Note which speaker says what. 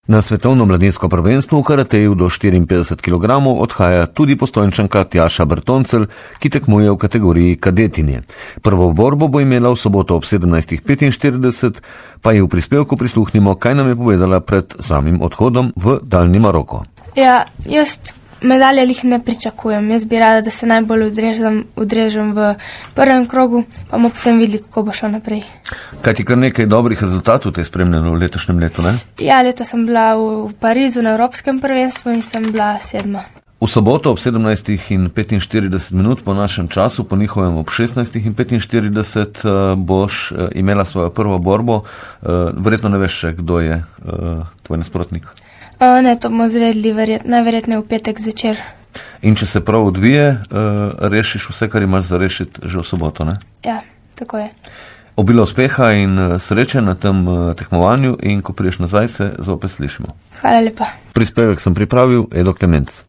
Speaker 1: Na svetovno mladinsko prvenstvo v karateju do 54 kg odhaja tudi Postojnčanka Tjaša Bertoncelj, ki tekmuje v kategoriji kadetinje. Prvo borbo bo imela v soboto ob 17:45, pa ji v prispevku prisluhnimo, kaj nam je povedala pred samim odhodom v daljni Maroko.
Speaker 2: Ja, jaz medalje jih ne pričakujem. Jaz bi rada, da se najbolj udrežem v prvem krogu, pa bomo potem videli, kako bo šlo naprej.
Speaker 1: Kaj ti kar nekaj dobrih rezultatov te je spremljeno v letošnjem letu, ne?
Speaker 2: Ja, leto sem bila v Parizu na Evropskem prvenstvu in sem bila 7.
Speaker 1: V soboto ob 17:45 po našem času, po njihovem ob 16:45 boš imela svojo prvo borbo. Verjetno ne veš še, kdo je tvoj nasprotnik.
Speaker 2: Ne, to bomo zvedli najverjetneje v petek zvečer.
Speaker 1: In če se prav odvije, rešiš vse, kar imaš za rešiti že v soboto, ne?
Speaker 2: Ja, tako je.
Speaker 1: Obilo uspeha in sreče na tem tekmovanju in ko prideš nazaj, se zopet slišimo.
Speaker 2: Hvala lepa.
Speaker 1: Prispevek sem pripravil, Edo Klemenc.